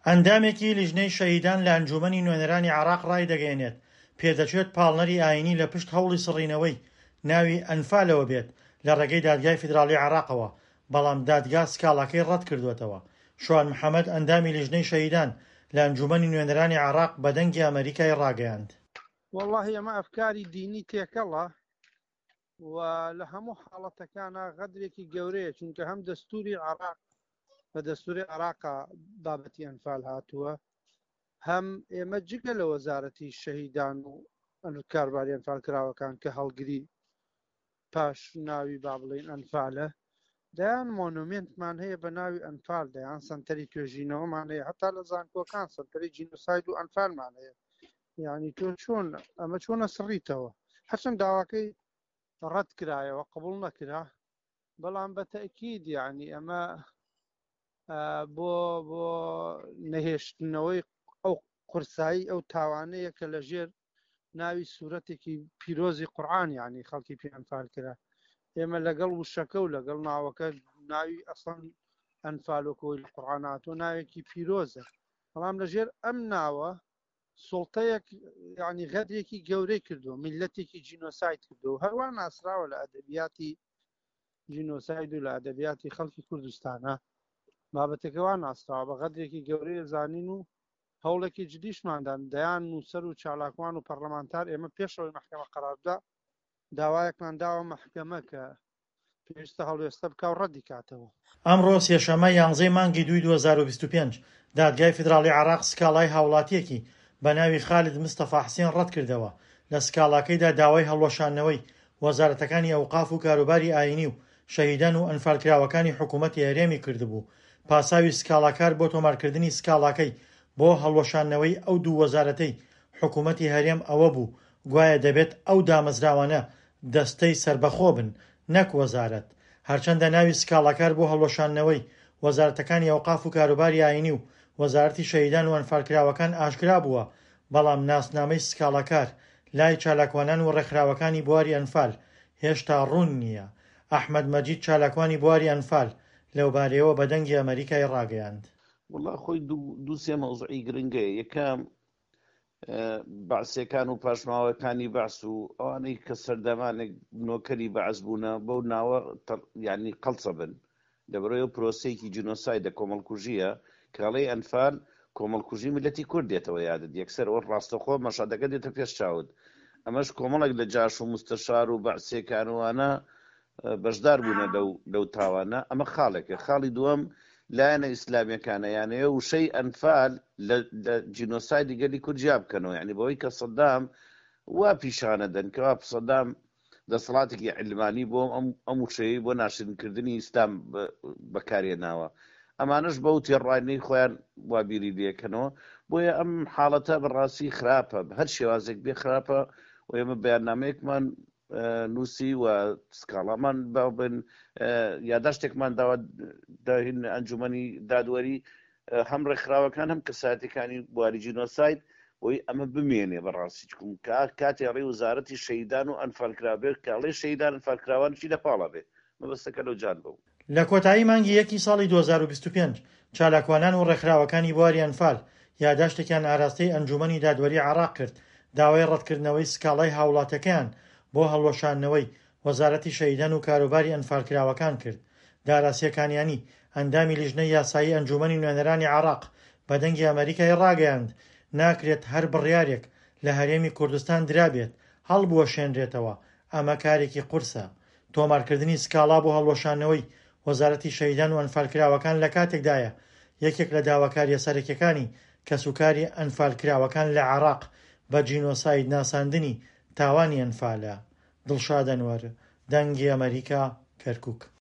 ئەندامێکی لیژنەی شەهیدان لە ئەنجوومەنی نوێنەرانی عێراق ڕایدەگەیەنێت، پێدەچێت پاڵنەری ئایینی لە پشت هەوڵی سڕینەوەی ناوی ئەنفالەوە بێت لە ڕێگەی دادگای فیدراڵی عێراقەوە، بەڵام دادگا سکاڵاکەی ڕەتکردووەتەوە. شوان محەمەد، ئەندامی لیژنەی شەهیدان لە ئەنجوومەنی نوێنەرانی عێراق بە دەنگی ئەمەریکای ڕاگەیاند. وەڵاهی ئەمە ئەفکاری دینی تێکەڵە و لە هەموو حاڵەتەکانا غەدرێکی گەورەیە چونکە هەم دەستوری عێراق بە دەستوری عێراقا بابەتی ئەنفال هاتووە هەم ئێمە جگە لە وەزارەتی شەهیدان و کارباری ئەنفال کراوەکان کە هەڵگری پاش ناوی با بڵین ئەنفالە دەیان مۆنومێنتمان هەیە بە ناوی ئەنفال دەیان سنتەری توێژینەوەمان هەیە هەتا لە زانکۆکان سنتەری جینۆساید و ئەنفالمان هەیە یعنی تۆ چۆن ئەمە چۆنە سڕیتەوە هەرچەند داواکەی ڕەت کرایەوە قبول نەکرا بەڵام بە تەکید یعنی ئەمە بۆ بۆ نەهێشتنەوەی ئەو قورسایی ئەو تاوانەیە کە لە ژێر ناوی سوورەتێکی پیرۆزی قورآن یعنی خەڵکی پێ ئەنفال کرا ئێمە لەگەڵ وشەکە و لەگەڵ ناوەکە ناوی ئەسڵەن ئەنفالۆکەوەی لە قورآن هاتووە ناوێکی پیرۆزە بەڵام لەژێر ئەم ناوە سوڵتەیەک یعنی غەدرێکی گەورەی کردو میلەتێکی جینۆساید کردو هەروە ناسراوە لە ئەدەبیاتی جینۆساید و لە ئەدەبیاتی خەڵکی کوردستانە بابەتەکە وا ناسراوە بە غەدرێکی گەورەیە زانین و هەوڵێکی جدیشماندان دەیان نووسەر و چالاکوان و پەرلەمانتار ئێمە پێشەوەی مەحکەمە قەراردا داوایەکمان داوە مەحکەمە کە پێویستە هەڵوێستە بکا و ڕەدی کاتەوە. ئەمڕۆ سێشەممە یانزەی مانگی دووی 2025، دادگای فیدراڵی عێراق سکاڵای هاوڵاتییەکی بە ناوی خالد مستەفا حسێن ڕەتکردەوە، لە سکاڵاکەیدا داوای هەڵوەشاندنەوەی وەزارەتەکانی ئەوقاف و کاروباری ئایینی و شەهیدان و ئەنفالکراوەکانی حکوومەتی هەرێمی کردبوو. پاساوی سکاڵاکار بۆ تۆمارکردنی سکاڵاکەی بۆ هەڵوەشاندنەوەی ئەو دوو وەزارەتەی حکوومەتی هەرێم ئەوە بوو گوایە دەبێت ئەو دامەزراوانە دەستەی سەربەخۆ بن نەک وەزارەت. هەرچەندە ناوی سکاڵاکار بۆ هەڵوەشاندنەوەی وەزارەتەکانی ئەوقاف و کاروباری ئایینی و وەزارەتی شەهیدان و ئەنفالکراوەکان ئاشکرا بووە، بەڵام ناسنامەی سکاڵاکار لای چالاکوانان و ڕێکخراوەکانی بواری ئەنفال هێشتا ڕوون نییە. ئەحمەد مەجید چالاکوانی بواری ئەنفال لەوبارەیەوە بە دەنگی ئەمەریکای ڕاگەیاند. وەڵا خۆی دوو سێ مەوزوعی گرنگەیە یەکەم بەعسیەکان و پاشماوەکانی بەعس و ئەوانەی کە سەردەمانێک نۆکەری بەعس بوونە بەو ناوە یعنی قەڵسە بن لەبەرەوە پرۆسەیەکی جینۆسایدە کۆمەڵکوژیە کاڵەی ئەنفال کۆمەڵکوژی میلەتی کورد دێتەوە یادت یەکسەر ئەوە ڕاستەخۆ مەشادەکە دێتە پێش چاوت ئەمەش کۆمەڵێک لە جاش و مستەشار و بەعسیەکانوانە بەشدار بوونە لەو لەو تاوانە ئەمە خاڵێکە خاڵی دووەم لایەنە ئیسلامیەکانە یانەیە وشەی ئەنفال لە جینۆسایدی گەلی کورد جیا بکەنەوە یعنی بەوەی کە سەدام وا پیشانە دەن کەوا سەدام دەسەڵاتێکی علمانی بۆ ئەم ئەم وشەیە بۆ ناشرینکردنی ئیسلام بەکارهێناوە ئەمانەش بەو تێڕوانینەی خۆیان وا بیری لێکەنەوە بۆیە ئەم حاڵەتە بەڕاستی خراپە هەر شێوازێک بێ خراپە و ئێمە بەیاننامەیەکمان نووسی و سکاڵامان بن یاداشتێکمان داوا داهین ئەنجومەنی دادوەری هەم ڕێکخراوەکان هەم کەسایەتەکانی بواری جینۆساید بۆی ئەمە بمێنێ بەڕاستی چکم کا کاتێ ڕێ وزارەتی شەیدان و ئەنفالکرابێت کاڵێ شەیدان ئەنفالکراوانشی لە پاڵا بێ مەبەستەکە لەو جان بەو. لە کۆتایی مانگی یەکی ساڵی 2025، چالاکوانان و ڕێکخراوەکانی بواری ئەنفال یاداشتێکیان ئاراستەی ئەنجوومەنی دادوەری عێراق کرد، داوای ڕەتکردنەوەی سکاڵای هاوڵاتیەکەیان بۆ هەڵوەشاندنەوەی وەزارەتی شەهیدان و کاروباری ئەنفالکراوەکان کرد. دارا سێکانیانی، ئەندامی لیژنەی یاسایی ئەنجوومەنی نوێنەرانی عێراق بە دەنگی ئەمەریکای ڕاگەیاند، ناکرێت هەر بڕیارێک لە هەرێمی کوردستان درابێت هەڵبوەشێنرێتەوە، ئەمە کارێکی قورسە. تۆمارکردنی سکاڵا بۆ هەڵوەشاندنەوەی وەزارەتی شەهیدان و ئەنفالکراوەکان لەکاتێکدایە، یەکێک لە داواکارییە سەرەکیەکانی کەسوکاری ئەنفالکراوەکان لە عێراق بە جینۆساید ناساندنی تاوانی ئەنفالە. دڵشاد ئەنوەر، دەنگی ئەمەریکا، کەرکوک.